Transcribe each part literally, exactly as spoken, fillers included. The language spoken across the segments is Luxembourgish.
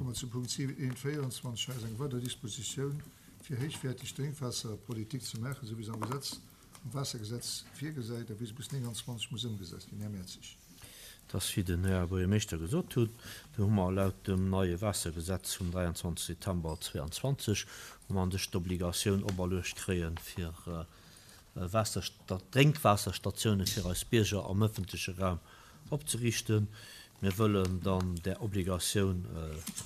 Komme mer zu Punkt véierundzwanzeg. Hei ass eng weider Dispositioun, fir héichwäerteg Drénkwaasserpolitik ze maachen, esou wéi se am Gesetz, am Waassergesetz virgesäit a wéi se bis nénganzwanzeg muss ëmgesat ginn. Här Mertzig. Et ass, wéi den Här Buergermeeschter gesot huet, do hu mer laut dem neie Waassergesetz vum dräianzwanzeg September zweeanzwanzeg hu mer an sech d'Obligatioun operluecht kréien, fir Drénkwaasserstatioune fir eis Bierger am ëffentleche Raum opzeriichten. Mir wëllen dann där Obligatioun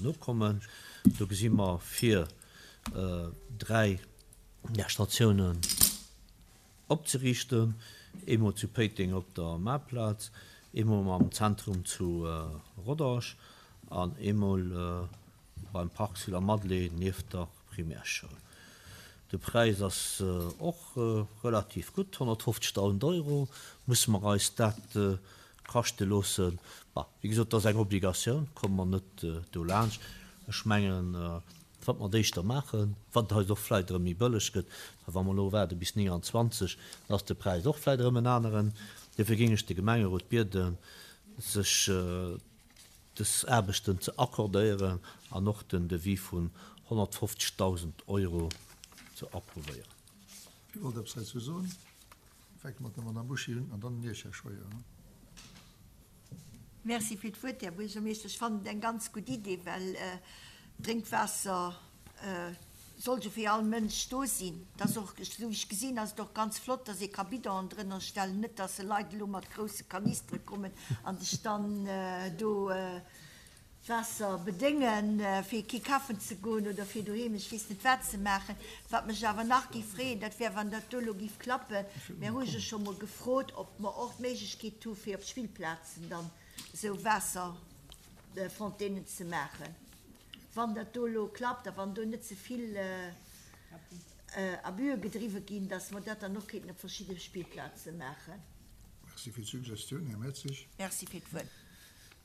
nokommen. Do gesi mer fir dräi där Statiounen opzeriichten, eemol zu Péiteng op der Maartplaz, eemol am Zentrum zu Rodange an eemol beim Parc sur la Madeleine nieft der Primärschoul. De Präis ass och relativ gutt, honnertfofzegdausend Euro. Musse mer eis dat kaschte loossen? Bah, wéi gesot, dat ass eng Obligatioun, komme mer net dolaanscht. Ech mengen, wat mer d'éischter maachen, wat eis och vläicht erëm méi bëlleg gëtt, well wa mer elo waarde bis nénganzwanzeg, da ass de Präis och vläicht erëm en aneren. Dofir géing ech de Gemengerot bieden, sech dës Aarbechten ze accordéieren an och den Devis vun honnertfofzegdausend Euro ze approuvéieren. Wie wollt eppes heizou soen? Fänke mat der Madame Bouché un an dann Iech, Här Scheuer. Merci fir d'Wuert, Här Buergermeeschter. Ech fannen et eng ganz gutt Idee, well Drénkwaasser soll jo fir all Mënsch do sinn. Et ass och, esou wéi ech gesinn, ass et och ganz flott, dass ee ka Bidonen drënner stellen, net dass se Leit elo mat grousse Kanistere kommen an sech dann do Waasser bedéngen, fir kee kafen ze goen oder fir doheem ech weess net wat ze maachen. Wat mech awer nach géif freeën, dat wär, wann dat do elo géif klappen, mir hu jo scho mol gefrot, ob mer och d'Méiglechkeet hu fir op Spillplazen dann esou Waasserfontainen ze maachen. Wann dat do elo klappt a wann do net ze vill Abüe gedriwwe ginn, dass mer dat dann och kéinten op verschidde Spillplaze maachen. Merci fir d'Suggestioun, Här Mertzig. Merci fir d'Wuert.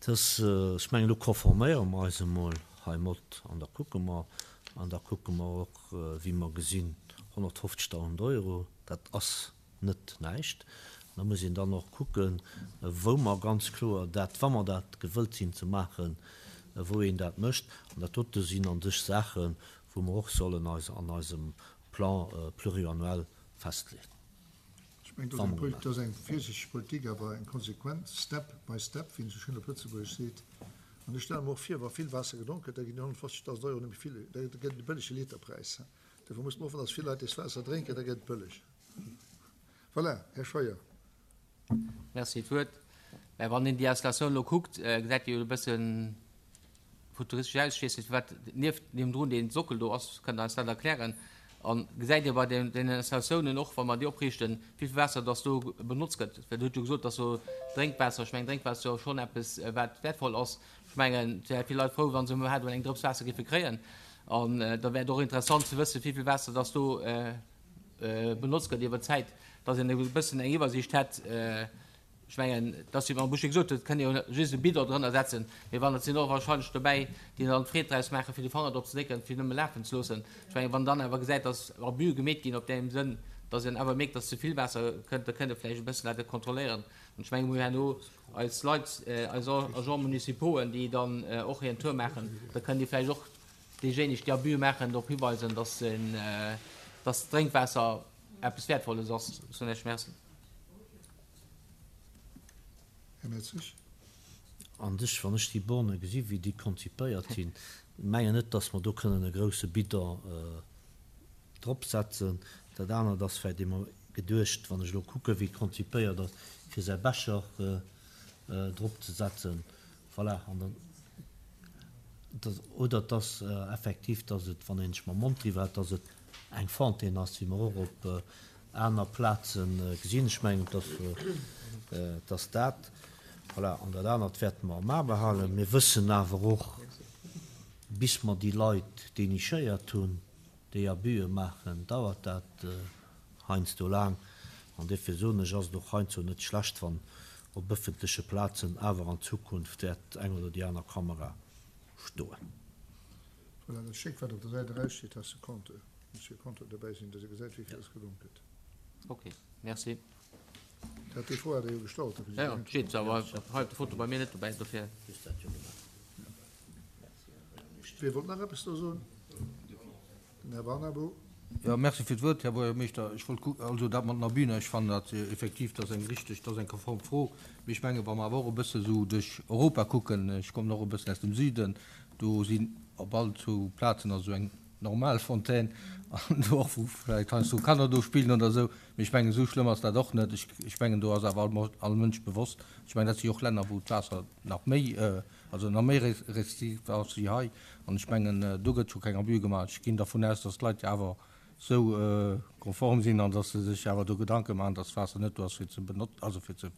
Dass, ech mengen, do konforméiere mer eis emol heimat an da kucke mer. An da kucke mer och, wéi mer gesinn, honnertfofzegdausend Euro, dat ass net näischt. Da muss een dann och kucken, wou mer ganz kloer dat, wa mer dat gewëllt sinn ze maachen, wou een dat mécht. An dat dote sinn an sech Saachen, wou mer och sollen eis an eisem Plan pluriannuel festleeën. Ech mengen, dat ass eng Poli-, dat ass eng virsiichteg Politik, awer eng konsequent, step by step, wéi een esou schéin op Lëtzebuergesch seet. An ech stelle mer och vir, wa vill Waasser gedronk gëtt, da ginn déi honnertfofzegdausend Euro net méi vill, da gëtt et e bëllege Literpräis. Dofir muss mer hoffen, dass vill Leit dést Waasser drénken, da gëtt et bëlleg. Voilà, Här Scheuer. Merci fir d'Wuert. Mä wann een déi Installatioun elo kuckt, gesäit déi jo e bësse futuristesch aus. Ech weess net, firwat nieft niewendrun dee Sockel do ass. Kënnt Der eis dat erklären? A gesäit Dir bei deenen Installatiounen och, wa mer déi opriichten, wéi vill Waasser dass do benotzt gëtt? Well Der hutt jo gesot, dass do Drénkwaasser, ech mengen, Drénkwaasser ass jo schonn eppes, wat wäertvoll ass. Ech mengen, et wäre vill Leit frou, wa se iwwerhaapt emol eng Drëps Waasser géife kréien. An da wär et och interessant ze wëssen, wéi vill Waasser dass do benotzt gëtt iwwer d'Zäit, dass een e bëssen eng Iwwersiicht hätt. Ech mengen, dass, wéi d'Madame Bouché gesot huet, kënnt ee jo just e Bidon drënner setzen, mee wann et sinn och wahrscheinlech dobäi, déi dann d'Freed draus maachen, fir de Fanger drop ze drécken, fir nëmme lafen ze loossen. Ech mengen, wann dann awer gesäit, dass Abuse gemeet ginn op deem Sënn, dass een awer mierkt, dass ze vill Waasser kënnt, da kënnt ee vläicht e bëssen dat kontrolléieren. An ech mengen, mir hu herno eis Leit, eis Agents municipauxen, déi dann och hiren Tour maachen, da kënnen déi vläicht och déijéineg, déi Abuse maachen, drop hiweisen, dass dass d'Drénkwaasser eppes Wäertvolles ass. Ech soen Iech Merci. Här Mertzig. An sech, wann ech déi Borne gesi wéi déi konzipéiert sinn, mengen net, dass mer do kënnen e grouse Bidon drop setzen. Dat anert ass vläicht emol geduecht, wann ech elo kucke wéi et konzipéiert ass, fir säi Becher drop ze setzen. Voilà, an dann, dass, oder dass effektiv, dass et, wann een sech mam Mond driwwer hält, dass et eng Fontaine ass, wéi mer och op aner Plaze gesinn. Ech mengen, dass, dass dat, voilà, an dat anert wäerte mer am A behalen. Mir wëssen awer och, bis mer déi Leit dénichéiert hunn, déi Abuse maachen, dauert dat heiansdo laang. An duerfir soen ech, ass et och heiansdo net schlecht, wann op ëffentleche Plazen awer an Zukunft wäert eng oder déi aner Kamera stoen. Voilà, dat Stéck, wat op der Säit eraussteet, ass de Compteur. Muss jo Compteur dobäi sinn, dass ee gesäit, wéi vill dass gedronk gëtt. Ok, merci. Dat, déi Fro hat Der jo gestallt, Här President. Jo, steet awer hei op der Foto bei mir net dobäi, dofir. Just dat jo gemaach. Merci, Här Buergermeeschter. Wie wollt nach eppes do soen? Den Här Barnabo. Jo, merci fir d'Wuert, Här Buergermeeschter. Ech wollt ku-, also dat mat den Abüen, ech fannen dat effektiv, dat ass eng richteg, dat ass eng konform Fro. Mee ech mengen, wa mer awer och e bësse sou duerch Europa kucken, ech kommen och e bëssen aus dem Süden, do sinn op all zwou Plazen ass esou eng normal Fontaine an do och, wou vläicht heiansdo Kanner do spillen oder esou. Mee ech mengen, esou schlëmm ass dat och net. Ech, ech mengen, do ass awer all, all Mënsch bewosst. Ech mengen, dat si och Länner, wou d'Waasser nach méi, also nach méi restriktiv ass wéi hei. An ech mengen, do gëtt scho keng Abus gemaach. Ech ginn dervun aus, dass d'Leit jo awer esou konform sinn an dass se sech awer do Gedanke maachen, dass d'Waasser net do ass fir ze benot-, also fir ze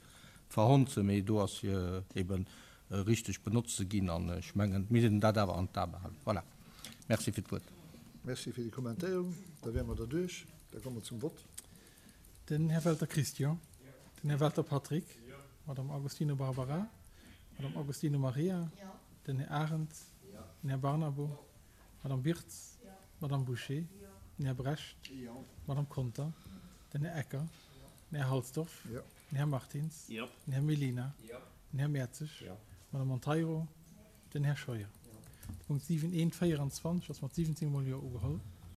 verhonzen, mee do ass fir eben richteg benotzt ze ginn. An ech mengen, mir missten dat awer an d'A behalen. Voilà. Merci fir d'Wuert. Merci fir déi Kommentéierung. Da wäre mer derduerch. Da komme mer zum Vott. Den Här Welter Christian. Den Här Welter Patrick. Madame Agostino Barbara. Madame Agostino Maria. Den Här Arendt. Den Här Barnabo. Madame Wirtz. Madame Bouché. Den Här Brecht. Madame Conter. Den Här Ecker. Den Här Halsdorf. Den Här Martins. Den Här Mellina. Den Här Mertzig. Madame Monteiro. Den Här Scheuer. De Punkt siwen eent véierundzwanzeg ass mat siwwenzéng Mol Jo ugeholl.